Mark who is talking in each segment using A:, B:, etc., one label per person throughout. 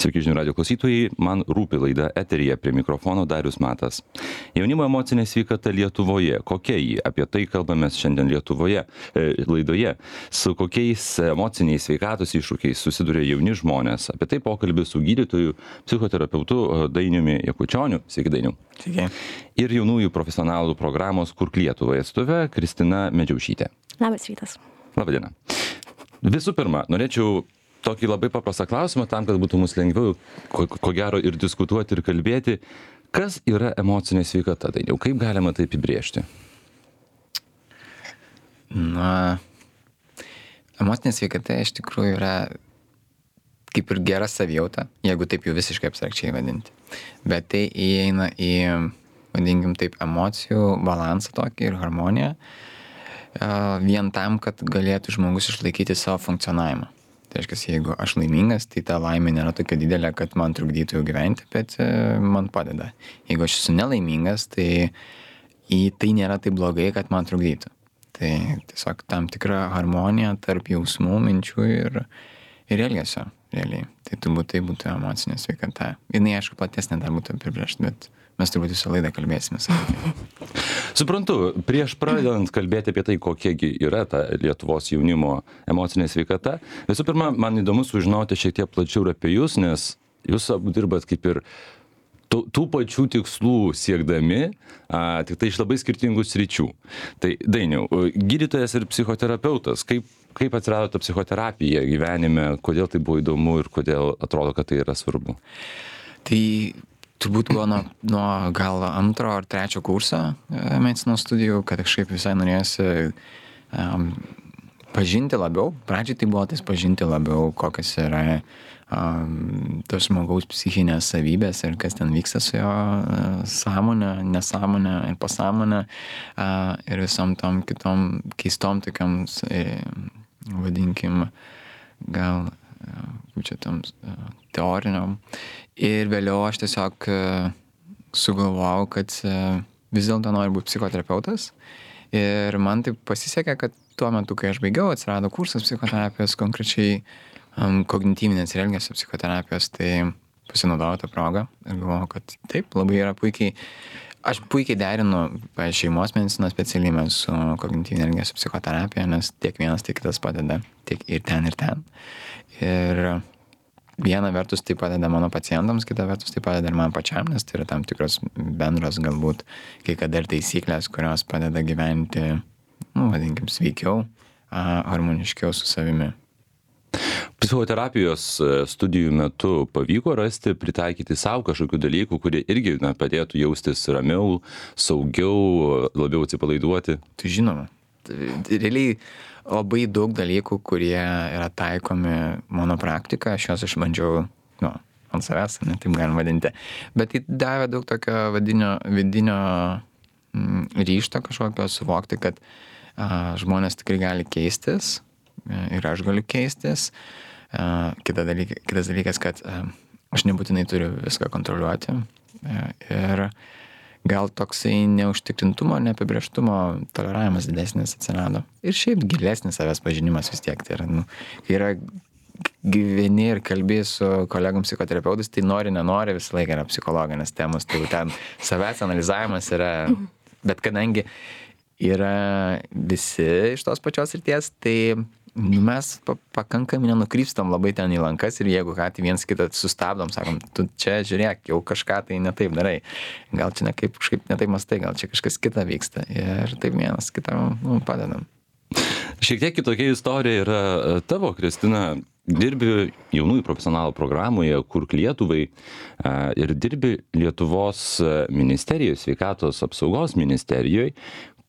A: Sveiki žinių radio klausytojai, man rūpi laida eteryje, prie mikrofono Darius Matas. Jaunimo emocinė sveikata Lietuvoje, kokia ji? Apie tai kalbame šiandien laidoje. Su kokiais emociniais sveikatos iššūkiais susiduria jauni žmonės. Apie tai pokalbis su gydytoju, psichoterapeutu Dainiumi Jakučioniu. Sveiki, Dainiau.
B: Sveiki.
A: Ir jaunųjų profesionalų programos Kurk Lietuvai atstove Kristina Medžiaušytė.
C: Labas rytas.
A: Labadiena. Visų pirma, norėčiau tokį labai paprastą klausimą, tam, kad būtų mums lengviau, ko gero, ir diskutuoti, ir kalbėti. Kas yra emocinė sveikata, Dainiau? Kaip galima tai apibrėžti?
B: Na, emocinė sveikata iš tikrųjų yra kaip ir gera savijauta, jeigu taip jau visiškai abstrakčiai vadinti. Bet tai įeina į, vadinkim taip, emocijų balansą tokį ir harmoniją, vien tam, kad galėtų žmogus išlaikyti savo funkcionavimą. Tai reiškia, jeigu aš laimingas, tai ta laimė nėra tokia didelė, kad man trukdytų jau gyventi, bet man padeda. Jeigu aš esu nelaimingas, tai tai nėra taip blogai, kad man trukdytų. Tai tiesiog tam tikra harmonija tarp jausmų, minčių ir elgesio, realiai. Tai turbūt tai būtų emocinė sveikata. Jinai, aišku, platesnė dar būtų apibrėžta, bet mes turbūt visą laidą kalbėsime.
A: Suprantu, prieš pradedant kalbėti apie tai, kokiegi yra ta Lietuvos jaunimo emocinė sveikata, visų pirma, man įdomu sužinoti šiek tiek plačiau apie jūs, nes jūs abu dirbat kaip ir tų pačių tikslų siekdami, tik tai iš labai skirtingų sričių. Tai Dainiau, gydytojas ir psichoterapeutas, kaip atsirado ta psichoterapija gyvenime, kodėl tai buvo įdomu ir kodėl atrodo, kad tai yra svarbu?
B: Tai turbūt buvo nuo gal 2 ar 3 kurso medicinos studijų, kad kažkaip visai norėjosi pažinti labiau. Pradžiai tai buvo pažinti labiau, kokios yra tos žmogaus psichinės savybės ir kas ten vyksta su jo sąmonė, nesąmonė ir pasąmonė ir visom tom kitom keistom tokiam, vadinkim, gal čia tam teoriniam. Ir vėliau aš tiesiog sugalvojau, kad vis dėlto noriu būti psichoterapeutas. Ir man taip pasisekė, kad tuo metu, kai aš baigiau, atsirado kursas psichoterapijos, konkrečiai kognityvinės ir elgesio psichoterapijos, tai pasinaudojau tą progą ir galvojau, kad taip, labai yra puikiai. Aš puikiai derinu šeimos medicinos specialybę su kognityvinė elgesio psichoterapija, nes tiek vienas, tiek kitas padeda, tiek ir ten, ir ten. Ir viena vertus tai padeda mano pacientams, kita vertus tai padeda ir man pačiam, nes tai yra tam tikros bendros galbūt kai kada ir taisyklės, kurios padeda gyventi, vadinkim, sveikiau, harmoniškiau su savimi.
A: Psichoterapijos studijų metu pavyko rasti, pritaikyti savo kažkokių dalykų, kurie irgi padėtų jaustis ramiau, saugiau, labiau atsipalaiduoti?
B: Tai žinoma. Realiai labai daug dalykų, kurie yra taikomi mano praktika, aš juos išbandžiau, ant savęs, taip galim vadinti. Bet tai davė daug tokio vidinio ryžto kažkokio suvokti, kad žmonės tikrai gali keistis ir aš galiu keistis. Kitas dalykas, kad aš nebūtinai turiu viską kontroliuoti ir gal toksai neužtikrintumo, neapibrėžtumo toleravimas didesnis atsirado. Ir šiaip gilesnis savęs pažinimas vis tiek. Tai yra, kai yra gyveni ir kalbi su kolegom psichoterapeutais, tai nenori visą laiką yra psichologinės temos. Tai ten savęs analizavimas yra, bet kadangi yra visi iš tos pačios srities, tai mes pakankamai nenukrypstam labai ten į lankas ir jeigu ką, tai viens kitą sustabdom, sakom, tu čia žiūrėk, jau kažką tai netaip darai, gal čia kažkaip netaip mastai, gal čia kažkas kita vyksta ir taip vienas kitam padedam.
A: Šiek tiek kitokia istorija yra tavo, Kristina, dirbi jaunųjų profesionalų programoje Kurk Lietuvai ir dirbi Lietuvos ministerijoje, sveikatos apsaugos ministerijoje.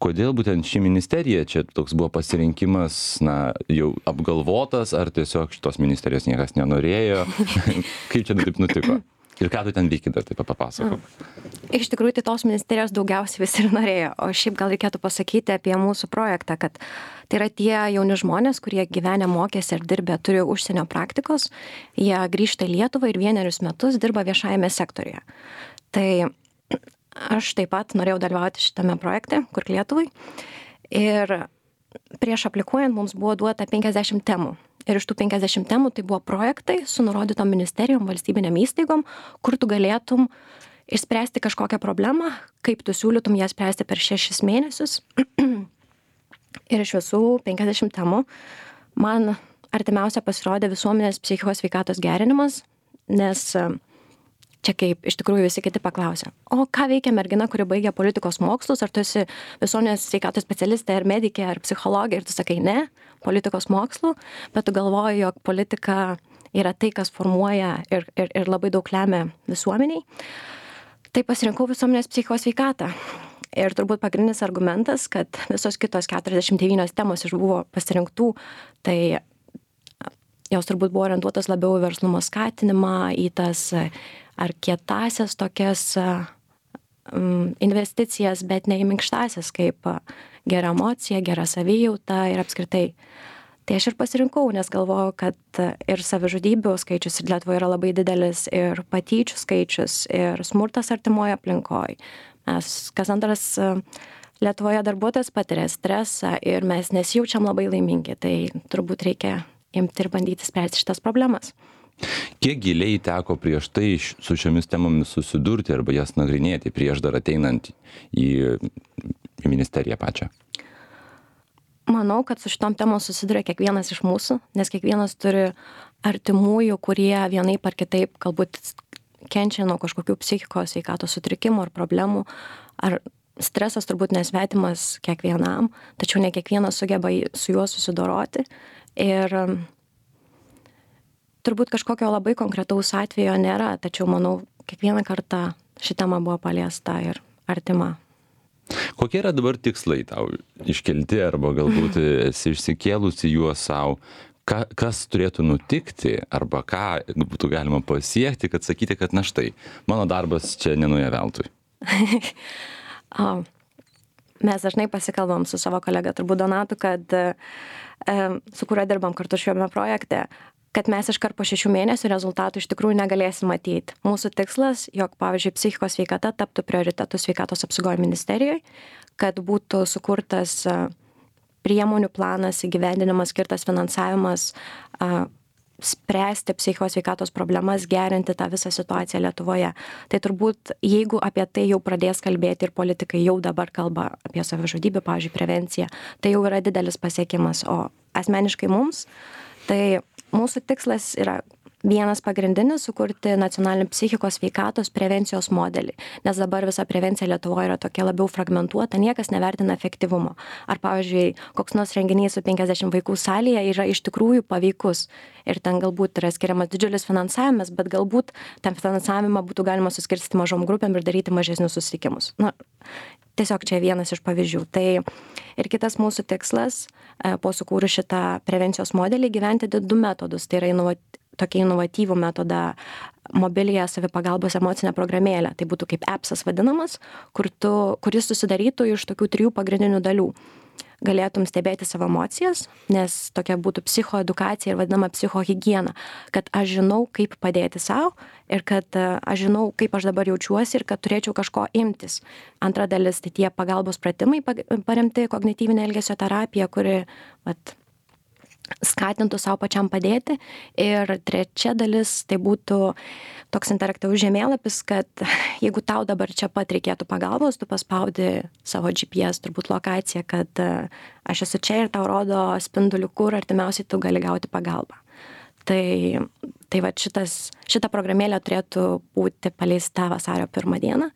A: Kodėl būtent ši ministerija, čia toks buvo pasirinkimas, jau apgalvotas, ar tiesiog šitos ministerijos niekas nenorėjo? Kaip čia taip nutiko? Ir ką tu ten veiki, dar taip papasakok?
C: Iš tikrųjų, tai tos ministerijos daugiausiai visi ir norėjo. O šiaip gal reikėtų pasakyti apie mūsų projektą, kad tai yra tie jauni žmonės, kurie gyvenę, mokėsi ir dirbę, turi užsienio praktikos. Jie grįžta į Lietuvą ir 1 metus dirba viešajame sektoriuje. Tai aš taip pat norėjau dalyvauti šitame projekte, Kurk Lietuvai. Ir prieš aplikuojant mums buvo duota 50 temų. Ir iš tų 50 temų tai buvo projektai su nurodytom ministerijom, valstybinėm įstaigom, kur tu galėtum išspręsti kažkokią problemą, kaip tu siūlytum ją spręsti per 6 mėnesius. Ir iš visų 50 temų man artimiausia pasirodė visuomenės psichikos sveikatos gerinimas, nes čia kaip iš tikrųjų visi kiti paklausė, o ką veikia mergina, kuri baigia politikos mokslus, ar tu esi visuomenės sveikatos specialistė, ar medikė, ar psichologė, ir tu sakai ne, politikos mokslų, bet tu galvoji, jog politika yra tai, kas formuoja ir labai daug lemia visuomeniai. Tai pasirinkau visuomenės psichikos sveikatą. Ir turbūt pagrindinis argumentas, kad visos kitos 49 temos iš buvo pasirinktų, tai jos turbūt buvo orientuotas labiau į verslumo skatinimą, į tas ar kietasias tokias investicijas, bet ne į minkštasias, kaip gera emocija, gera savijauta ir apskritai. Tai aš ir pasirinkau, nes galvojau, kad ir savižudybių skaičius ir Lietuvoje yra labai didelis, ir patyčių skaičius, ir smurtas artimoje aplinkoje. Mes kas antras Lietuvoje darbuotojas patiria stresą ir mes nesijaučiam labai laimingi, tai turbūt reikia imti ir bandyti spręsti šitas problemas.
A: Kiek giliai teko prieš tai su šiomis temomis susidurti arba jas nagrinėti prieš dar ateinant į ministeriją pačią?
C: Manau, kad su šitom temom susiduria kiekvienas iš mūsų, nes kiekvienas turi artimųjų, kurie vienaip ar kitaip galbūt kenčia nuo kažkokių psichikos sveikatos sutrikimų ar problemų, ar stresas turbūt nesvetimas kiekvienam, tačiau ne kiekvienas sugeba su juo susidoroti. Ir turbūt kažkokio labai konkretaus atvejo nėra, tačiau manau, kiekvieną kartą ši tema buvo paliesta ir artima.
A: Kokie yra dabar tikslai tau iškelti arba galbūt esi išsikėlusi juos savo? Kas turėtų nutikti arba ką būtų galima pasiekti, kad sakyti, kad na štai, mano darbas čia nenuėjo veltui?
C: Mes dažnai pasikalbam su savo kolega, turbūt Donatu, kad su kuriuo dirbam kartu šiame projekte, kad mes iškart po 6 mėnesių rezultatų iš tikrųjų negalėsim matyti. Mūsų tikslas, jog, pavyzdžiui, psichikos sveikata taptų prioritetu sveikatos apsaugos ministerijoje, kad būtų sukurtas priemonių planas, įgyvendinimas, skirtas finansavimas, spręsti psichikos sveikatos problemas, gerinti tą visą situaciją Lietuvoje. Tai turbūt, jeigu apie tai jau pradės kalbėti ir politikai jau dabar kalba apie savižudybių, pavyzdžiui, prevenciją, tai jau yra didelis pasiekimas. O asmeniškai mums, tai mūsų tikslas yra vienas pagrindinis - sukurti nacionalinį psichikos sveikatos prevencijos modelį. Nes dabar visa prevencija Lietuvoje yra tokia labiau fragmentuota, niekas nevertina efektyvumo. Ar, pavyzdžiui, koks nors renginys su 50 vaikų salėje yra iš tikrųjų paveikus. Ir ten galbūt yra skiriamas didžiulis finansavimas, bet galbūt tam finansavimą būtų galima suskirstyti mažom grupėm ir daryti mažesnius susitikimus. Na, tiesiog čia vienas iš pavyzdžių. Tai ir kitas mūsų tikslas, po sukūrus šitą prevencijos modelį, gyventi 2 metodus. Tai yra tokį inovatyvų metodą mobiliąją savipagalbos emocinę programėlę. Tai būtų kaip appsas vadinamas, kuris susidarytų iš tokių 3 pagrindinių dalių. Galėtum stebėti savo emocijas, nes tokia būtų psichoedukacija ir vadinama psichohigiena, kad aš žinau, kaip padėti savo ir kad aš žinau, kaip aš dabar jaučiuosi ir kad turėčiau kažko imtis. Antra dalis, tai tie pagalbos pratimai paremti kognityvinė elgesio terapija, kuri skatintų savo pačiam padėti. Ir trečia dalis, tai būtų toks interaktyvus žemėlapis, kad jeigu tau dabar čia pat reikėtų pagalbos, tu paspaudi savo GPS, turbūt lokaciją, kad aš esu čia ir tau rodo spinduliu, kur artimiausiai tu gali gauti pagalbą. Tai va šita programėlė turėtų būti paleista vasario 1 dieną.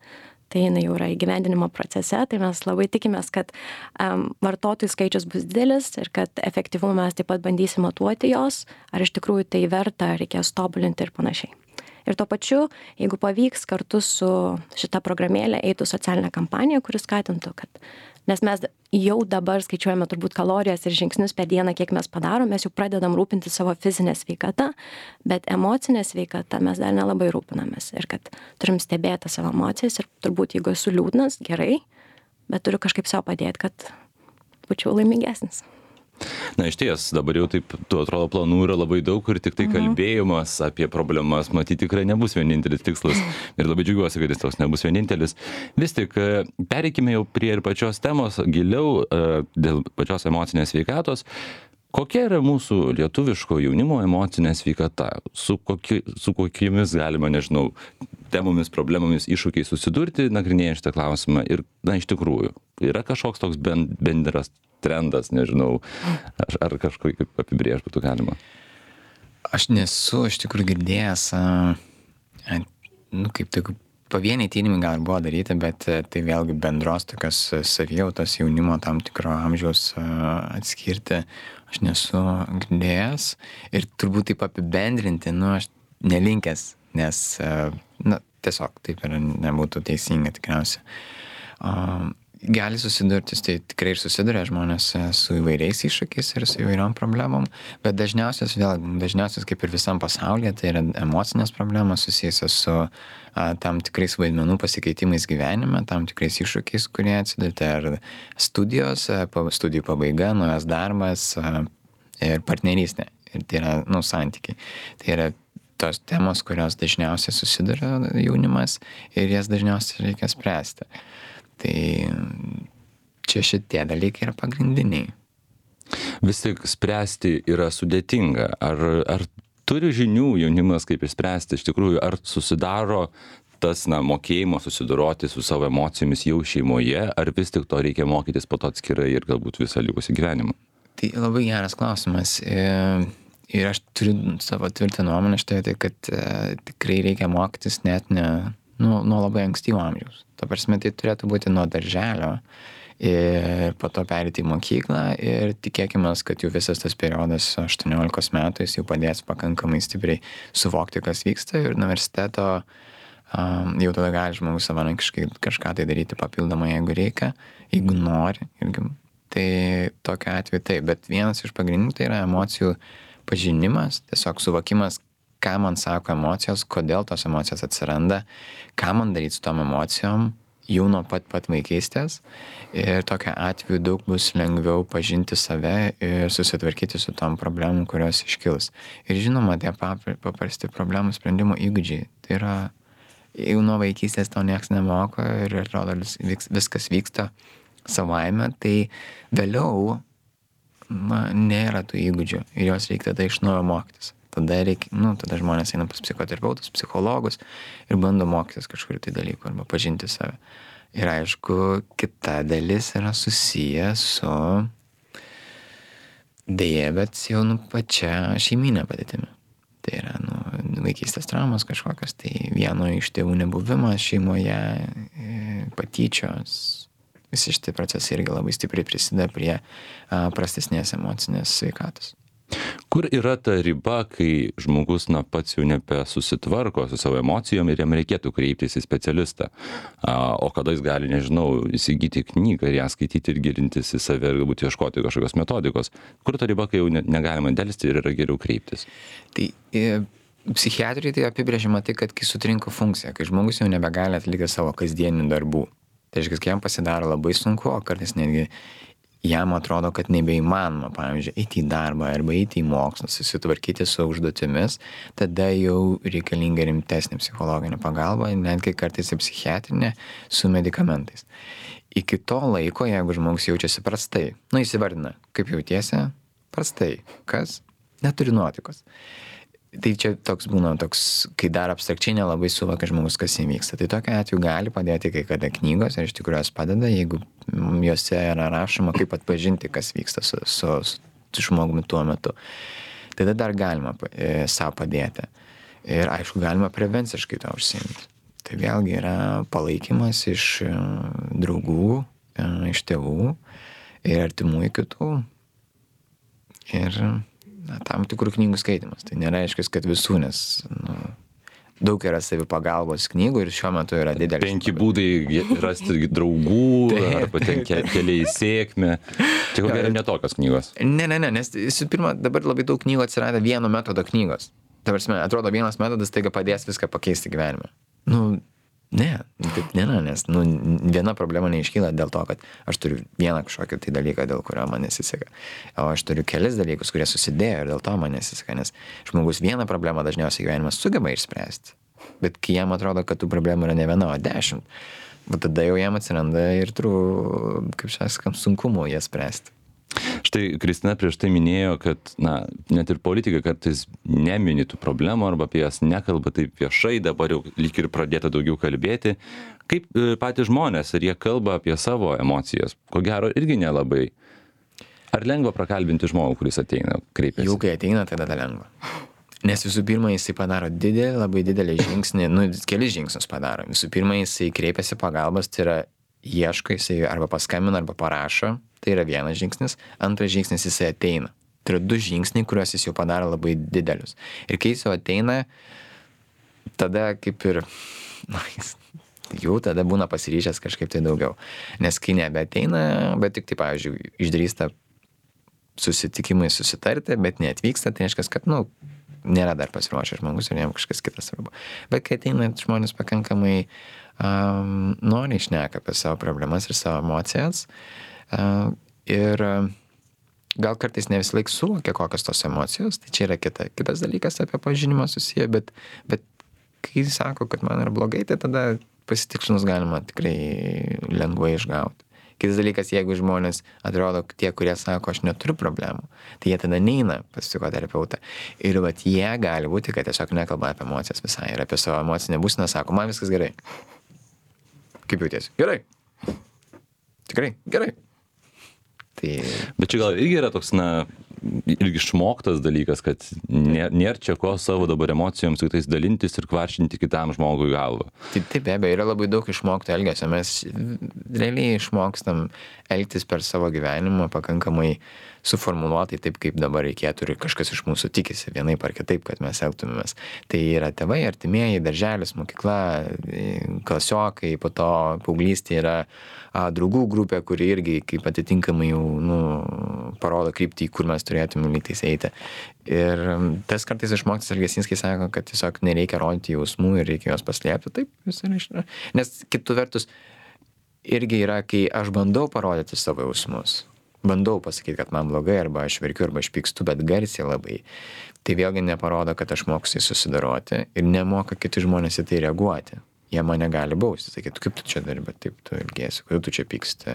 C: Tai jinai jau yra įgyvendinimo procese, tai mes labai tikimės, kad vartotojų skaičius bus didelis ir kad efektyvumą mes taip pat bandysim matuoti jos, ar iš tikrųjų tai verta, reikės tobulinti ir panašiai. Ir tuo pačiu, jeigu pavyks, kartu su šita programėlė eitų socialinė kampanija, kuris skatintų, kad nes mes jau dabar skaičiuojame turbūt kalorijas ir žingsnius per dieną, kiek mes padarom, mes jau pradedam rūpinti savo fizinę sveikatą, bet emocinę sveikatą mes dar nelabai rūpinamės. Ir kad turim stebėti savo emocijas ir turbūt, jeigu esu liūdnas, gerai, bet turiu kažkaip savo padėti, kad būčiau laimingesnis.
A: Na, iš ties, dabar jau taip, tu atrodo, planų yra labai daug ir tik tai kalbėjimas apie problemas, matyti, tikrai nebus vienintelis tikslas. Ir labai džiaugiuosi, kad jis toks nebus vienintelis. Vis tik, pereikime jau prie ir pačios temos, giliau dėl pačios emocinės sveikatos. Kokia yra mūsų lietuviško jaunimo emocinė sveikata? Su kokiomis galima, nežinau, temomis, problemomis, iššūkiais susidurti, nagrinėjant šitą klausimą? Ir, iš tikrųjų, yra kažkoks toks bendras trendas, nežinau, ar kažkokį apibrėžti būtų galima?
B: Aš nesu iš tikrųjų girdėjęs, kaip tik pavieniai tyrimai gal buvo daryti, bet tai vėlgi bendros tokios savijautos jaunimo tam tikro amžiaus atskirti aš nesu girdėjęs. Ir turbūt taip apibendrinti, aš nelinkęs, nes, tiesiog taip ir nebūtų teisinga tikriausiai. Gali susidurti, tai tikrai ir susiduria žmonės su įvairiais iššūkiais ir su įvairiom problemom, bet dažniausias kaip ir visam pasaulyje, tai yra emocinės problemos susijusios su tam tikrais vaidmenų pasikeitimais gyvenime, tam tikrais iššūkiais, kurie atsidurti, ar studijos, studijų pabaiga, naujas darbas ir partnerystė. Ir tai yra, santykiai. Tai yra tos temos, kurios dažniausiai susiduria jaunimas ir jas dažniausiai reikia spręsti. Tai čia šitie dalykai yra pagrindiniai.
A: Vis tik spręsti yra sudėtinga. Ar turi žinių jaunimas, kaip išspręsti iš tikrųjų, ar susidaro tas mokėjimo susidoroti su savo emocijomis jau šeimoje, ar vis tik to reikia mokytis po to atskirai ir galbūt visą likusį gyvenimą?
B: Tai labai geras klausimas. Ir aš turiu savo tvirtą nuomonę štai, tai kad tikrai reikia mokytis net nuo labai ankstyvo amžiaus. To prasme, tai turėtų būti nuo darželio ir po to perėti į mokyklą ir tikėkime, kad jau visas tas periodas 18 metų jis jau padės pakankamai stipriai suvokti, kas vyksta, ir universiteto jau tada gali žmogus savarankiškai kažką tai daryti papildomai, jeigu reikia, jeigu nori. Tai tokiu atveju taip, bet vienas iš pagrindinių tai yra emocijų pažinimas, tiesiog suvokimas, ką man sako emocijos, kodėl tos emocijos atsiranda, ką man daryti su tom emocijom, jau nuo pat vaikystės. Ir tokiu atveju daug bus lengviau pažinti save ir susitvarkyti su tom problemom, kurios iškils. Ir žinoma, tie paprasti problemų sprendimo įgūdžiai. Tai yra, jau nuo vaikystės to nieks nemoko ir atrodo viskas vyksta savaime, tai vėliau nėra tų įgūdžių ir jos reikia tada iš naujo mokytis. Tada žmonės eina pas psichoterapeutus, psichologus ir bando mokytis kažkur tai dalykų arba pažinti save. Ir aišku, kita dalis yra susiję su deja, bet jau pačia šeiminė padėtimi. Tai yra vaikystės traumos kažkokios, tai vieno iš tėvų nebuvimas šeimoje, patyčios. Visi šitie procesai irgi labai stipriai prisideda prie prastesnės emocinės sveikatos.
A: Kur yra ta riba, kai žmogus pats jau nebesusitvarko su savo emocijom ir jam reikėtų kreiptis į specialistą? O kada jis gali, nežinau, įsigyti knygą ir ją skaityti ir gilintis į save ir galbūt ieškoti kažkokios metodikos? Kur ta riba, kai jau negalima delsti ir yra geriau kreiptis?
B: Tai psichiatrijai tai apibrėžiama tai, kad kai sutrinka funkcija, kai žmogus jau nebegali atlikti savo kasdienių darbų. Tai reiškia, kai jam pasidaro labai sunku, o kartais netgi jam atrodo, kad nebeįmanoma, pavyzdžiui, eiti į darbą arba eiti į mokslą, susitvarkyti su užduotimis, tada jau reikalinga rimtesnė psichologinė pagalba, netgi kartais ir psichiatrinė su medikamentais. Iki to laiko, jeigu žmogus jaučiasi prastai, įsivardina, kaip jautiesi, prastai, kas? Neturi nuotaikos. Tai čia toks būna, kai dar abstrakčiai nelabai suvokia žmogus, kas įvyksta. Tai tokiu atveju gali padėti kai kada knygos, ir iš tikrųjų jos padeda, jeigu juose yra rašoma, kaip atpažinti, kas vyksta su žmogumi tuo metu. Tada dar galima savo padėti. Ir aišku, galima prevenciškai to užsiimti. Tai vėlgi yra palaikymas iš draugų, iš tėvų ir artimųjų kitų. Ir tam tikrų knygų skaitimas. Tai nereiškia, kad visų, nes daug yra savipagalbos knygų ir šiuo metu yra didelis. 5
A: būdai rasti draugų, arba ten keliai į sėkmę. Čia ko gero ne tokios knygos.
B: Ne, nes pirma, dabar labai daug knygų atsirado vieno metodo knygos. Ta prasme, atrodo, vienas metodas taiga padės viską pakeisti gyvenime. Ne, taip nėra, nes viena problema neiškyla dėl to, kad aš turiu vieną kažkokį tai dalyką, dėl kurio man nesiseka. O aš turiu kelis dalykus, kurie susidėjo ir dėl to man nesiseka, nes žmogus vieną problemą dažniausiai gyvenimas sugeba išspręsti. Bet kai jam atrodo, kad tų problemų yra ne viena, o 10, tada jau jam atsiranda ir kaip sakant, sunkumų jas spręsti.
A: Štai Kristina prieš tai minėjo, kad net ir politikai kartais nemini tų problemų arba apie jas nekalba taip viešai, dabar jau lyg ir pradėta daugiau kalbėti. Kaip patys žmonės, ar jie kalba apie savo emocijas? Ko gero irgi nelabai. Ar lengva prakalbinti žmogų, kuris ateina, kreipiasi?
B: Jau kai ateina, tada lengva. Nes visų pirma, jisai padaro labai didelį žingsnį, kelis žingsnius padaro. Visų pirma, jisai kreipiasi pagalbos, tai yra ieško, jisai arba paskambina, arba parašo, tai yra vienas žingsnis. Antras žingsnis, jisai ateina. Tai yra 2 žingsniai, kuriuos jis jau padaro labai didelius. Ir kai jis jau ateina, tada kaip ir, jis jau tada būna pasiryžęs kažkaip tai daugiau. Nes kai nebeateina, bet tik tai, pavyzdžiui, išdrįsta susitikimai susitarti, bet neatvyksta, tai reiškia, kad, nėra dar pasiruošęs žmogus ir jam kažkas kitas svarbu. Bet kai ateina žmonės pakankamai noriai šneka apie savo problemas ir savo emocijas ir gal kartais ne visą laiką suvokia, kokios tos emocijos, tai čia yra kitas dalykas apie pažinimą susiję, bet kai sako, kad man yra blogai, tai tada pasitikslinus galima tikrai lengvai išgauti. Kitas dalykas, jeigu žmonės atrodo tie, kurie sako, aš neturiu problemų, tai jie tada neina pas psichoterapeutą. Ir jie gali būti, kad tiesiog nekalba apie emocijas visai ir apie savo emocinę būseną, sako, man viskas gerai. Kaip jautiesi? Gerai. Tikrai, gerai.
A: Bet čia gal irgi yra toks, irgi išmoktas dalykas, kad nėra čia ko savo dabar emocijoms tik tais dalintis ir kvaršinti kitam žmogui galvą.
B: Taip, be abejo, yra labai daug išmokto elgesio. Mes realiai išmokstam elgtis per savo gyvenimą pakankamai suformuluotai taip, kaip dabar reikėtų ir kažkas iš mūsų tikisi vienaip ar kitaip, kad mes elgtumėmės. Tai yra tėvai, artimieji, darželis, mokykla, klasiokai, po to paauglystė yra draugų grupė, kuri irgi kaip atitinkamai jau parodo kryptį, kur mes turėtume lygtais eiti. Ir tas kartais išmoktas elgesys, kai sako, kad tiesiog nereikia rodyti jausmų ir reikia juos paslėpti, taip, nes kitų vertus irgi yra, kai aš bandau parodyti savo jausmus. Bandau pasakyti, kad man blogai, arba aš verkiu, arba aš pykstu, bet garsiai labai. Tai vėlgi neparodo, kad aš mokusiai susidoroti ir nemoka kiti žmonės į tai reaguoti. Jie mane gali bausti, sakyti, kaip tu čia dari, bet taip tu ilgėsi, kodėl tu čia pyksti.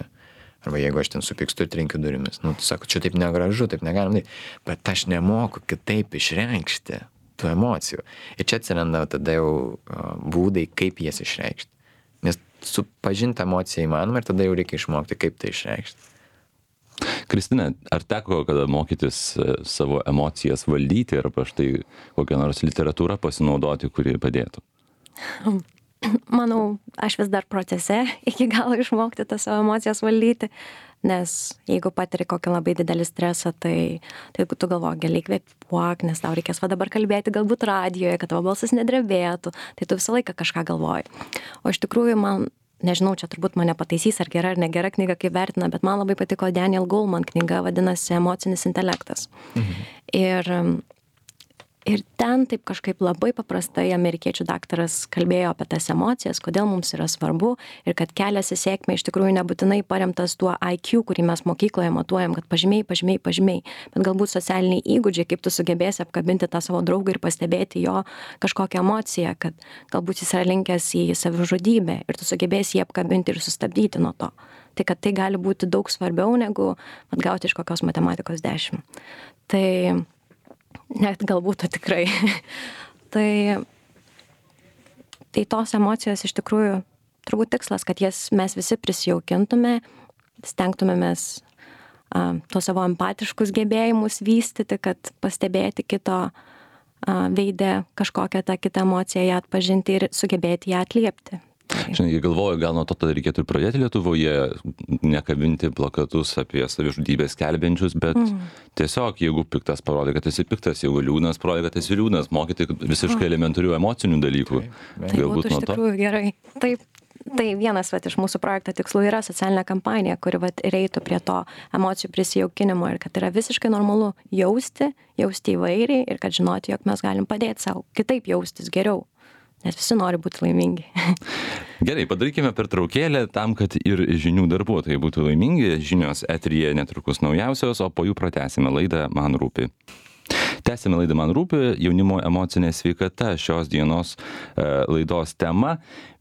B: Arba jeigu aš ten supykstu ir trenkiu durimis. Tu sako, čia taip negražu, taip negalim daryti. Bet aš nemoku kitaip išreikšti tų emocijų. Ir čia atsiranda tada jau būdai, kaip jas išreikšti. Nes supažinti emociją įmanoma ir tada jau reikia išmokti, kaip tai išreikšti.
A: Kristina, ar teko kada mokytis savo emocijas valdyti arba štai kokią nors literatūrą pasinaudoti, kuri padėtų?
C: Manau, aš vis dar procese iki galo išmokti tas savo emocijas valdyti, nes jeigu patiri kokį labai didelį stresą, tai tu galvoji, giliai kvėpuok, nes tau reikės dabar kalbėti galbūt radijoje, kad tavo balsas nedrebėtų, tai tu visą laiką kažką galvoji. O iš tikrųjų nežinau, čia turbūt mane pataisys, ar gera ar negera knyga, kaip vertina, bet man labai patiko Daniel Goleman knyga, vadinasi Emocinis intelektas. Ir ten taip kažkaip labai paprastai amerikiečių daktaras kalbėjo apie tas emocijas, kodėl mums yra svarbu ir kad kelias į sėkmę iš tikrųjų nebūtinai paremtas tuo IQ, kurį mes mokykloje matuojam, kad pažymiai, bet galbūt socialiniai įgūdžiai, kaip tu sugebėsi apkabinti tą savo draugą ir pastebėti jo kažkokią emociją, kad galbūt jis yra linkęs į savižudybę ir tu sugebėsi jį apkabinti ir sustabdyti nuo to. Tai kad tai gali būti daug svarbiau negu gauti iš kokios matematikos 10. Tai net galbūt tikrai. tai tos emocijos iš tikrųjų turbūt tikslas, kad jas mes visi prisijaukintume, stengtumėmės tuos savo empatiškus gebėjimus vystyti, kad pastebėti kito veide kažkokią tą kitą emociją, ją atpažinti ir sugebėti ją atliepti.
A: Žinai, galvoju, gal nuo to tada reikėtų ir pradėti Lietuvoje, nekabinti plakatus apie savižudybės skelbiančius, bet tiesiog, jeigu piktas parodė, kad esi piktas, jeigu liūdnas parodė, kad esi liūdnas, mokyti visiškai elementarių emocinių dalykų.
C: Tai būtų iš tikrųjų gerai. Taip. Tai vienas iš mūsų projekto tikslų yra socialinė kampanija, kuri ir eitų prie to emocijų prisijaukinimo ir kad yra visiškai normalu jausti įvairiai ir kad žinoti, jog mes galim padėti savo kitaip jaustis geriau. Nes visi nori būti laimingi.
A: Gerai, padarykime pertraukėlę tam, kad ir žinių darbuotojai būtų laimingi. Žinios eteryje netrukus naujausios, o po jų pratęsime laidą Man rūpi. Tęsime laidą Man rūpi jaunimo emocinė sveikata šios dienos laidos tema.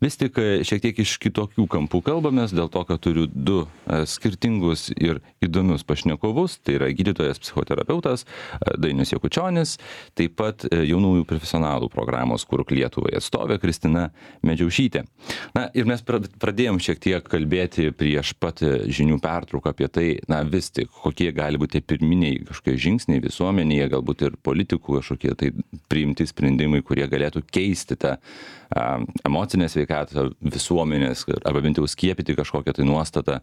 A: Vis tik šiek tiek iš kitokių kampų kalbamės, dėl to, kad turiu du skirtingus ir įdomius pašnekovus. Tai yra gydytojas psichoterapeutas Dainius Jakučionis, taip pat jaunųjų profesionalų programos Kurk Lietuvai atstovė Kristina Medžiaušytė. Na ir mes pradėjom šiek tiek kalbėti prieš pat žinių pertrauką apie tai, na vis tik, kokie gali būti pirminiai kažkokie žingsniai visuomenėje, galbūt ir politikų kažkokie tai priimti sprendimai, kurie galėtų keisti tą emocinę sveikatą visuomenės, arba bent jau skiepyti kažkokią tai nuostatą,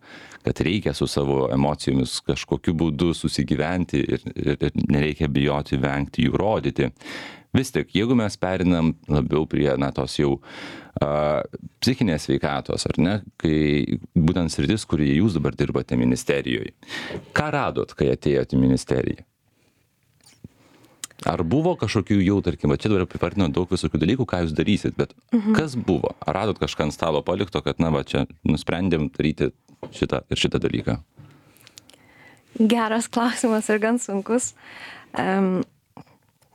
A: kad reikia su savo emocijomis kažkokiu būdu susigyventi ir nereikia bijoti, vengti jų rodyti. Vis tik, jeigu mes perinam labiau prie tos jau psichinės sveikatos, ar ne, kai būtent sritis, kurioje jūs dabar dirbate ministerijoje, ką radot, kai atėjote į ministeriją? Ar buvo kažkokių jau, tarkim, čia dabar pripartino daug visokių dalykų, ką jūs darysit, bet kas buvo? Ar radot kažką ant stalo palikto, kad, čia nusprendėm daryti šitą ir šitą dalyką?
C: Geras klausimas ir gan sunkus.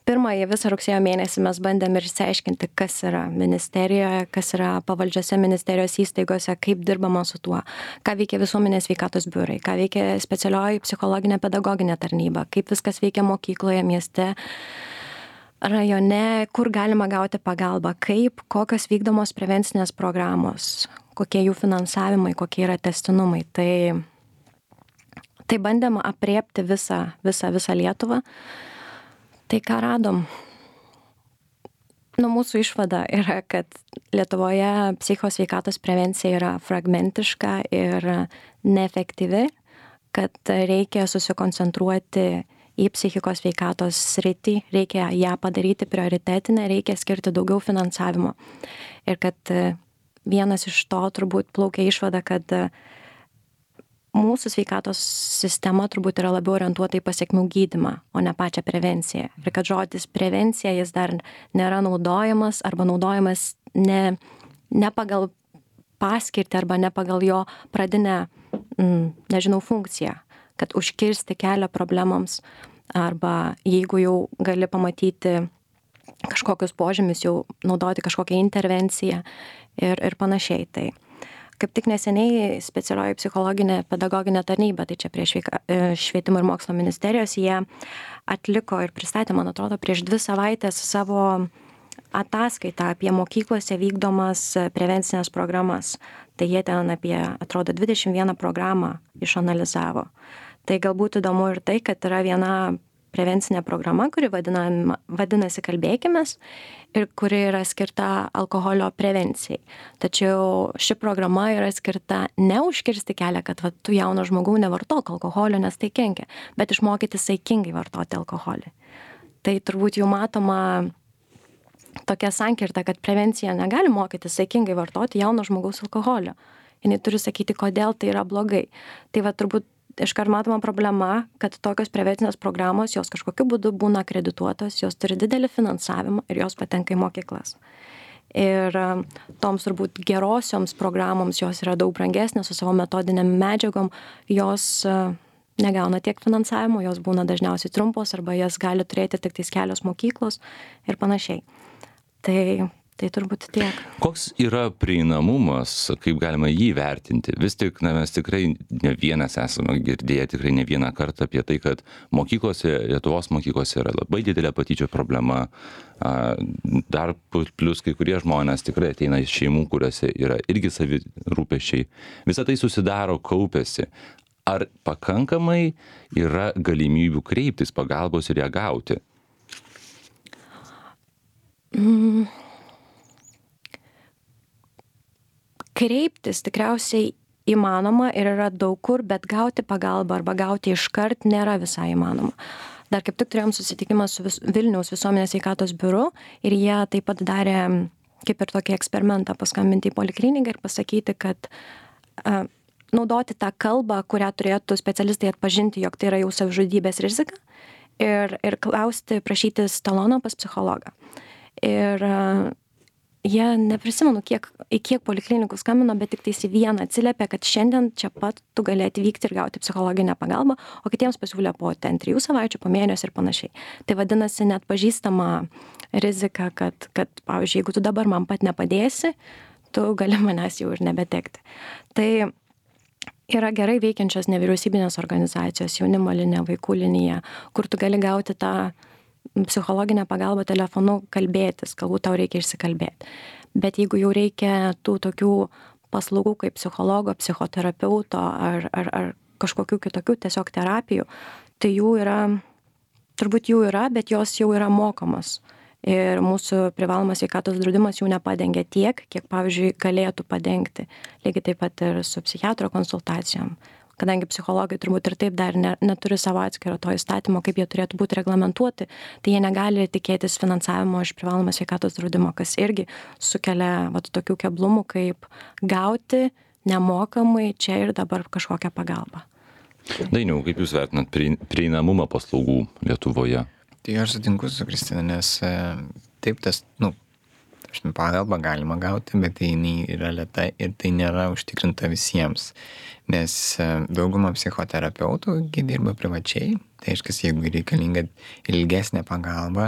C: Pirmąjį visą rugsėjo mėnesį mes bandėm ir išsiaiškinti, kas yra ministerijoje, kas yra pavaldžiose ministerijos įstaigose, kaip dirbama su tuo, ką veikia visuomenės sveikatos biurai, ką veikia specialioji psichologinė pedagoginė tarnyba, kaip viskas veikia mokykloje, mieste, rajone, kur galima gauti pagalbą, kokios vykdomos prevencinės programos, kokie jų finansavimai, kokie yra tęstinumai. Tai bandėm apriepti visą Lietuvą. Tai ką radom? Mūsų išvada yra, kad Lietuvoje psichosveikatos prevencija yra fragmentiška ir neefektyvi, kad reikia susikoncentruoti į psichikos sveikatos sritį, reikia ją padaryti prioritetinę, reikia skirti daugiau finansavimo. Ir kad vienas iš to turbūt plaukia išvada, kad mūsų sveikatos sistema turbūt yra labiau orientuota į pasekmių gydymą, o ne pačią prevenciją. Ir kad žodis prevencija jis dar nėra naudojamas arba naudojamas ne pagal paskirtį arba ne pagal jo pradinę, funkciją, kad užkirsti kelią problemams arba jeigu jau gali pamatyti kažkokius požymius, jau naudoti kažkokią intervenciją ir panašiai. Tai kaip tik neseniai specialioji psichologinė pedagoginė tarnyba, tai čia prie Švietimo ir mokslo ministerijos, jie atliko ir pristatė, man atrodo, prieš 2 savaitės savo ataskaitą apie mokyklose vykdomas prevencinės programas. Tai jie ten apie, atrodo, 21 programą išanalizavo. Tai galbūt įdomu ir tai, kad yra viena prevencinė programa, kuri vadinasi Kalbėkimės ir kuri yra skirta alkoholio prevencijai. Tačiau ši programa yra skirta ne užkirsti kelią, kad tu jauno žmogau nevartok alkoholio, nes tai kenkia, bet išmokyti saikingai vartoti alkoholį. Tai turbūt jau matoma tokia sankirta, kad prevencija negali mokyti saikingai vartoti jauno žmogaus alkoholio. Jis turi sakyti, kodėl tai yra blogai. Tai turbūt iškart matoma problema, kad tokios prevencinės programos, jos kažkokiu būdu būna akredituotos, jos turi didelį finansavimą ir jos patenka į mokyklas. Ir toms turbūt gerosioms programoms jos yra daug brangesnės su savo metodinėm medžiagom, jos negauna tiek finansavimo, jos būna dažniausiai trumpos arba jas gali turėti tik tais kelios mokyklos ir panašiai. Tai turbūt tiek.
A: Koks yra prieinamumas, kaip galima jį vertinti? Vis tik, mes tikrai ne vienas esame girdėję, tikrai ne vieną kartą apie tai, kad mokyklose, Lietuvos mokyklose yra labai didelė patyčių problema. Dar plus kai kurie žmonės tikrai ateina iš šeimų, kuriuose yra irgi savi rūpesčiai. Visą tai susidaro, kaupiasi. Ar pakankamai yra galimybių kreiptis pagalbos ir ją gauti?
C: Kreiptis tikriausiai įmanoma ir yra daug kur, bet gauti pagalbą arba gauti iškart nėra visai įmanoma. Dar kaip tik turėjom susitikimą su Vilniaus visuomenės sveikatos biuru ir jie taip pat darė kaip ir tokį eksperimentą, paskambinti į polikliniką ir pasakyti, kad naudoti tą kalbą, kurią turėtų specialistai atpažinti, jog tai yra jau savižudybės rizika ir klausti, prašytis talono pas psichologą. jie neprisimenu, į kiek poliklinikų skambino, bet tik tais į vieną atsiliepė, kad šiandien čia pat tu gali atvykti ir gauti psichologinę pagalbą, o kitiems pasiūlė po 3 savaičių, po mėnesio ir panašiai. Tai vadinasi net pažįstama rizika, kad pavyzdžiui, jeigu tu dabar man pat nepadėsi, tu gali manęs jau ir nebetekti. Tai yra gerai veikiančios nevyriausybinės organizacijos, jaunimo linija, vaikų linija, kur tu gali gauti tą psichologinę pagalbą telefonu kalbėtis, galbūt tau reikia išsikalbėti. Bet jeigu jau reikia tų tokių paslaugų kaip psichologo, psichoterapeuto ar kažkokių kitokių tiesiog terapijų, tai turbūt jų yra, bet jos jau yra mokamos. Ir mūsų privalomas sveikatos draudimas jų nepadengia tiek, kiek, pavyzdžiui, galėtų padengti. Lygiai taip pat ir su psichiatro konsultacijom. Kadangi psichologai turbūt ir taip dar neturi savo atskiro to įstatymo, kaip jie turėtų būti reglamentuoti, tai jie negali tikėtis finansavimo iš privalomo sveikatos draudimo, kas irgi sukelia tokių keblumų, kaip gauti nemokamai čia ir dabar kažkokią pagalbą.
A: Dainiau, kaip Jūs vertinat prieinamumą paslaugų Lietuvoje?
B: Tai aš sutinku su Kristina, nes taip pagalbą galima gauti, bet tai yra lėta ir tai nėra užtikrinta visiems. Nes dauguma psichoterapeutų dirba privačiai, tai aiškiai, jeigu reikalinga ilgesnė pagalba,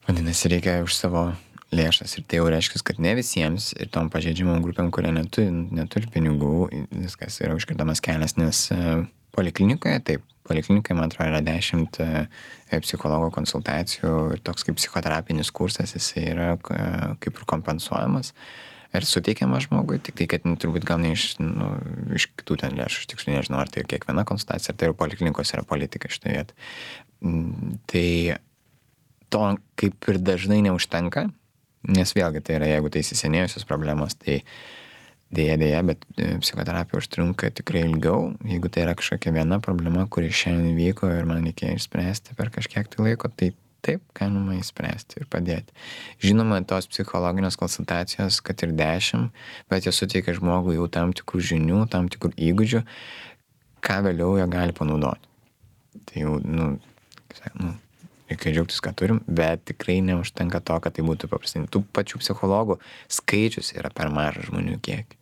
B: vadinasi, reikia už savo lėšas. Ir tai jau reiškia, kad ne visiems ir tom pažeidžiamom grupėm, kurie neturi pinigų, viskas yra užkirtamas kelias, nes poliklinikoje, poliklinikoje, man atrodo, yra 10 psichologo konsultacijų ir toks kaip psichoterapinis kursas, jis yra kaip ir kompensuojamas ir suteikiamas žmogui, tik tai, kad turbūt gal ne iš kitų ten lėšų, aš tiksliai nežinau, ar tai kiekviena konsultacija, ar tai ir poliklinikos yra politika šitoje vietoje. Tai to kaip ir dažnai neužtenka, nes vėlgi tai yra, jeigu tai įsisenėjusios problemos, tai dėja, bet psichoterapija užtrunka tikrai ilgiau, jeigu tai yra kažkokia viena problema, kuri šiandien vyko ir man reikėjo išspręsti per kažkiek tai laiko, tai taip galima išspręsti ir padėti. Žinoma, tos psichologinės konsultacijos, kad ir 10, bet jos suteikia žmogui jau tam tikrų žinių, tam tikrų įgūdžių, ką vėliau jie gali panaudoti. Tai jau, reikia džiaugtis, ką turim, bet tikrai neužtenka to, kad tai būtų paprastai. Tų pačių psichologų skaičius yra per mažas žmonių kiekį.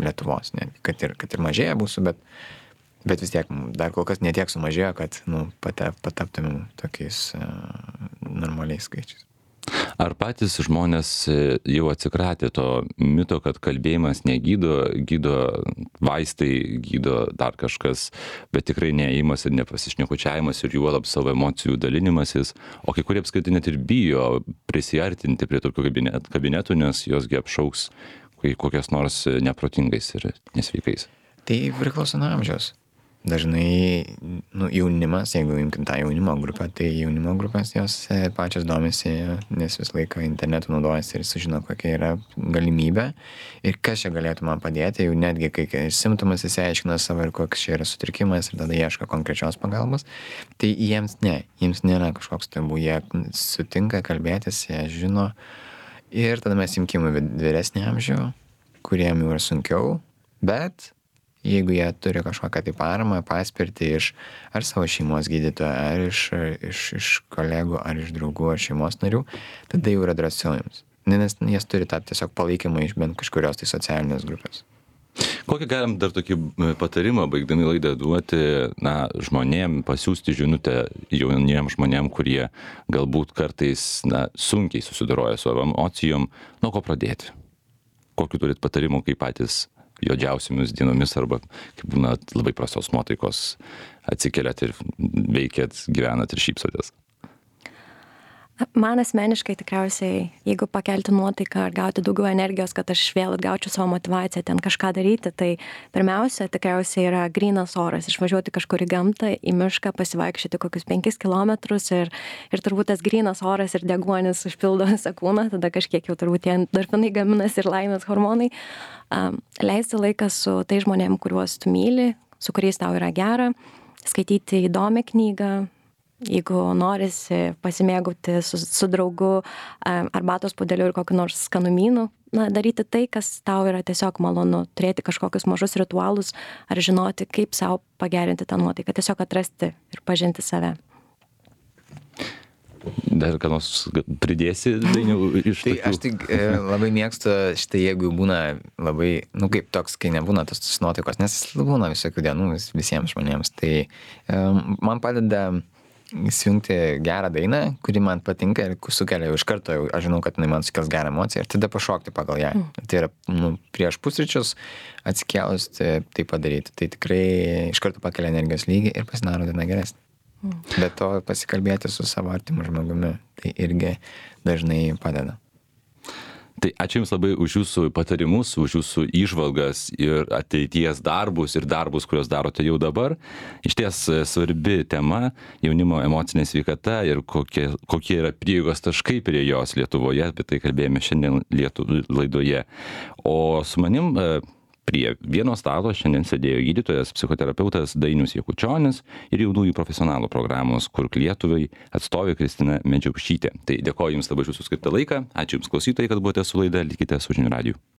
B: Lietuvos, kad ir mažėja mūsų, bet vis tiek dar kol kas netiek sumažėjo, kad pataptumėm tokiais normaliais skaičiais.
A: Ar patys žmonės jau atsikratė to mito, kad kalbėjimas negydo, gydo vaistai, gydo dar kažkas, bet tikrai neėjimas ir nepasišnekučiavimas ir juolab savo emocijų dalinimasis, o kai kurie apskritai net ir bijo prisiartinti prie tokių kabinetų, nes josgi apšauks kokias nors neprotingais ir nesveikais?
B: Tai priklauso nuo amžiaus. Dažnai jaunimas, jeigu imkim tą jaunimo grupę, tai jaunimo grupės jos pačios domisi, nes vis laiką internetu naudojasi ir sužino, kokia yra galimybė ir kas čia galėtų man padėti, jau netgi kai simptomas įsiaiškina savo ir koks čia yra sutrikimas ir tada ieško konkrečios pagalbos, tai jiems nėra kažkoks tabu, jie sutinka kalbėtis, jie žino. Ir tada mes imkime vyresnį amžių, kuriem jau yra sunkiau, bet jeigu jie turi kažkokią tai paramą, paspirtį iš ar savo šeimos gydytojo, ar iš kolegų, ar iš draugų, ar šeimos narių, tada jau yra drąsiau jums. Nes jas turi tą tiesiog palaikymą iš bent kažkurios tai socialinės grupės.
A: Kokį galim dar tokį patarimą, baigdami laidą, duoti žmonėm, pasiųsti žinutę jauniem žmonėm, kurie galbūt kartais sunkiai susidoroja su emocijom, nuo ko pradėti? Kokių turit patarimų, kaip patys juodžiausiomis dienomis arba kaip būna labai prastos nuotaikos atsikeliat ir veikiat, gyvenat ir šypsotės?
C: Man asmeniškai tikriausiai, jeigu pakelti nuotaiką ar gauti daugiau energijos, kad aš vėl atgaučiau savo motivaciją ten kažką daryti, tai pirmiausia, tikriausiai yra grynas oras, išvažiuoti kažkur į gamtą, į mišką, pasivaikščioti kokius 5 kilometrus ir turbūt tas grynas oras ir deguonis užpildo visą kūną, tada kažkiek jau turbūt tie endorfinai gaminasi ir laimės hormonai. Leisti laiką su tai žmonėm, kuriuos tu myli, su kuriais tau yra gera, skaityti įdomią knygą. Jeigu norisi pasimėgauti su draugu arbatos puodeliu ir kokiu nors skanumynu, daryti tai, kas tau yra tiesiog malonu, turėti kažkokius mažus ritualus ar žinoti, kaip savo pagerinti tą nuotaiką, tiesiog atrasti ir pažinti save.
A: Dar ką nors pridėsi, Dainiau, iš
B: Tai
A: tokių?
B: aš tik labai mėgstu šitą, jeigu būna labai, kaip toks, kai nebūna tos nuotaikos, nes būna visokių dienų visiems žmonėms. Tai man padeda įsijungti gerą dainą, kuri man patinka ir sukelia iš karto, aš žinau, kad jinai man sukels gerą emociją ir tada pašokti pagal ją. Tai yra prieš pusryčius atsikėlus tai padaryti. Tai tikrai iš karto pakelia energijos lygį ir pasidaro diena geresnė. Bet to pasikalbėti su savo artimu žmogumi, tai irgi dažnai padeda.
A: Tai ačiū Jums labai už Jūsų patarimus, už Jūsų įžvalgas ir ateities darbus ir darbus, kuriuos darote jau dabar. Išties svarbi tema - jaunimo emocinė sveikata ir kokie yra prieigos taškai prie jos Lietuvoje, apie tai kalbėjome šiandien laidoje. O su manim prie vieno stalo šiandien sėdėjo gydytojas, psichoterapeutas Dainius Jakučionis ir jaunųjų profesionalų programos Kurk Lietuvai atstovė Kristina Medžiaušytė. Tai dėkoju Jums labai už Jūsų skirtą laiką. Ačiū Jums klausytojai, kad buvote su laida. Likite su žinių radiju.